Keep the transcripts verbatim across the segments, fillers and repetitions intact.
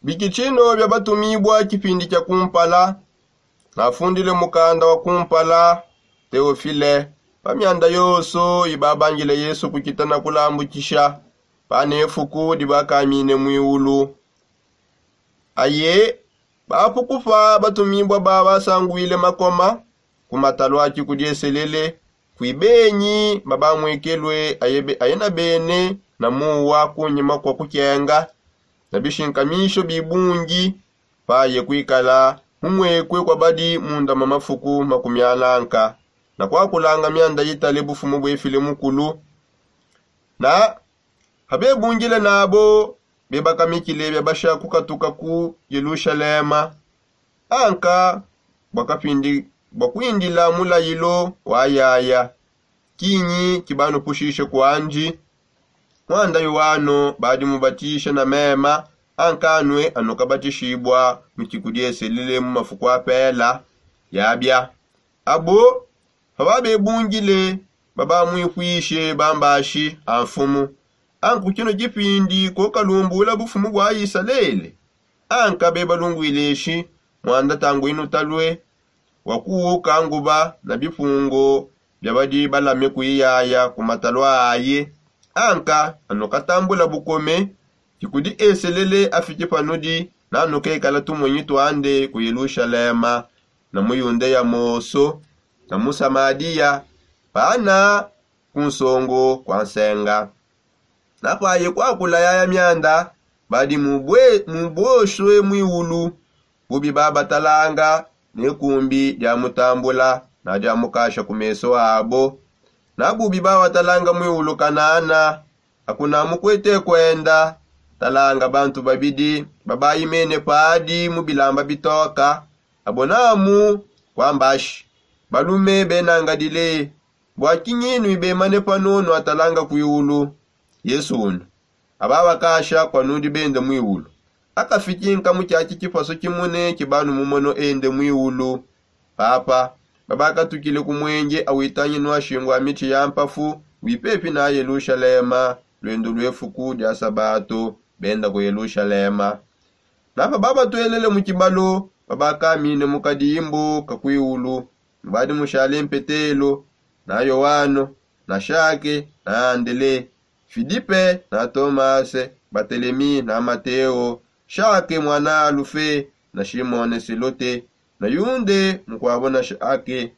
Bikitshino bia batumibua kipindi kia kumpala. Nafundile mukanda wa kumpala teofile pa mianda yonso ibabangile yesu kukita na kulambukisha pa nefuku dibakamine muiulu. Aye bapukupa batumibua ba basanguile makoma ku matalu a kikudieselele kui benyi babamwekelue aye na bene na muwa kunyima kua kukenga na bishinkamisho bibungi paye kuikala mumwekue kua badi munda mua mafuku makumi ananka na kuakulanga mianda itale bufumu buefile mukulu. Na pabebungile nabo bebakamikile biabasha kukatuka ku yelushalema anka bua kuindila mulayilo wa yaya. Kinyi kibanupushishe kuandi? Muanda yuwano badi mubatishe na mema anka anue anukabatishibua mu kikudieselele mu mafuku apela. Yabia abo pababebungile babamuipuishe bambashi a mfumu. Anku kino kipindi kokalumbula bufumu bua isalele. Anka bebalunguileshi muanda tanguinu talue wa kuuka nguba na bipungo bia badi balame kuiyaya ku matalu aye. Anka anukatambula bukome kikudi eselele afike panudi nanukekala tumonyi tuande ku yelushalema na mu yundeya moso na mu samadiya pana ku nsongo kua nsenga. Napaye kuakula yaya mianda badi mubosue muiulu bubi babatalanga ne kumbi dia mutambula na dia mukasha ku meso abo. Na bubi babatalanga muiulu kanana akuna mukuete kuenda. Talanga bantu babidi babaimene padi mu bilamba bitoka abo namu kuambashi balume benangadile. Bua kinyi nuibemane pano nuatalanga kuiulu? Yesu una aba bakasha kua nudi bende muiulu. Akafiki nkamu kiaki kipasu kimune kibanu mumono ende muiulu. Papa babakatukile ku muenje awitangi nuashingu a mitshi ya mpafu wipepi na yelushalema luendu lue fuku dia sabato benda ku yelushalema. Napa babatuelele mu kibalo babakamine mu kadimbu ka kuiulu. Mubadi mushale mpetelo na yoano na shake na andele filipe na tomase batelemi na mateo shake muana alufe na shimone selote na yunde mukuabo na shake.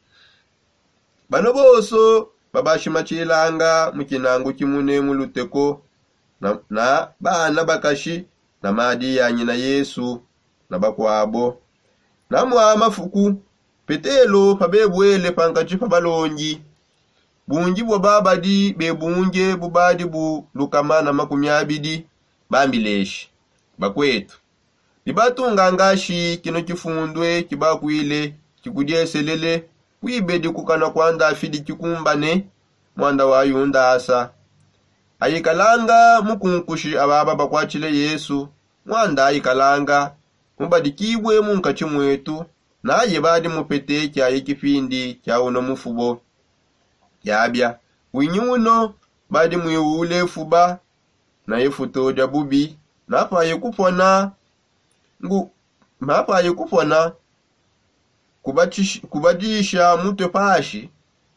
Bano bonso babashimatshilanga mu kinangu kimune mu luteko na bana bakashi na madi ya nyina yesu na bakuabo. Na mua mafuku petelo pabebuele pankatshi pa balongi bungi bua babadi bebunge bubadi bu lukama na makumi abidi bambileshi bakuetu bibatunga ngashi kino kifundue kibakuile kikudieselele kuibedi kukana kua ndafidi kikumbane muanda wa yundasa. Ayikalanga mukunkushi ababa bakuatshile yesu muanda ayikalanga mubadikibue munkatshi muetu naye badi mupete kiaye kipindi kia uno mufubo. Yabia winyi uno badi muiwule fuba na ifuto dia bubi napaye kupona ngu napaye kupona kubadisha mutue pashi.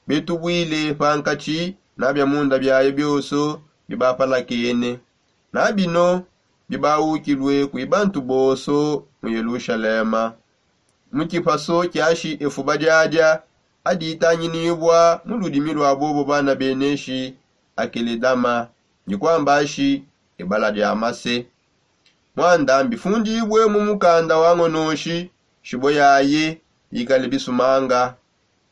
Betubuile pankatshi na bia munda biaye bionso bibapalakene na bino bibawukilue kui bantu bonso mu yelushalema. Mu kipaso kiashi efuba diadia aditanginibua mu ludimi lua bobo bana beneshi akeledama ndi kuambashi ebala dia mase. Muanda mbifundibue mu mukanda wa ngonoshi shibo yaye ikale bisumanga.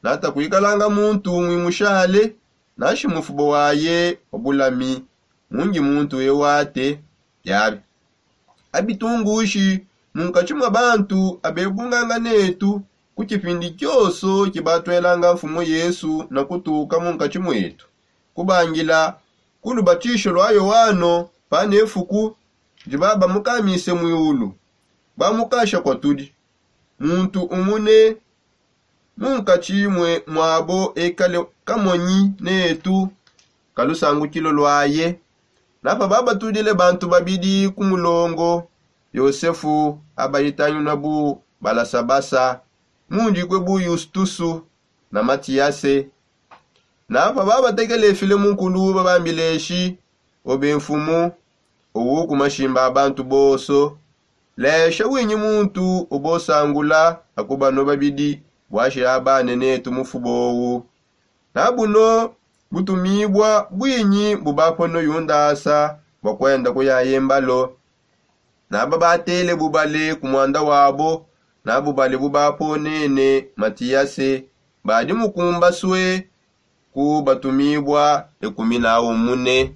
Nata kuikalanga muntu umui mushale nashi mufubo waye wa bulami mungi muntu ewate yabi abitungushi munkatshi mua bantu abebunganga netu ku tshipindi tshionso tshibatuelanga mfumu yesu na kutuka munkatshi muetu kubangila ku lubatisho lua yoano pa nefuku ndi babamukamise muiulu. Bamukasha kuatudi muntu umune munkatshi muabo ekale kamonyi netu ka lusangukilo luaye. Napa babatudile bantu babidi ku mulongo Yosefu abayitanyuna bu balasabasa, mundikue bu yustusu na matiyase. Na pababatekele file munkulu babambileshi, obe mfumu, owu ku mashimba a bantu bonso, lesha winyi muntu ubosangula akubanua babidi bwashia abane netu mufubowu. Na buno butumibua bwinyi bubapono yundasa bua kuenda kuyaye mbalo? Naba batele bubale ku muanda wabo, na bubale bubaponene matiyase badi mukumbasue ku batumibua ekumi na umune.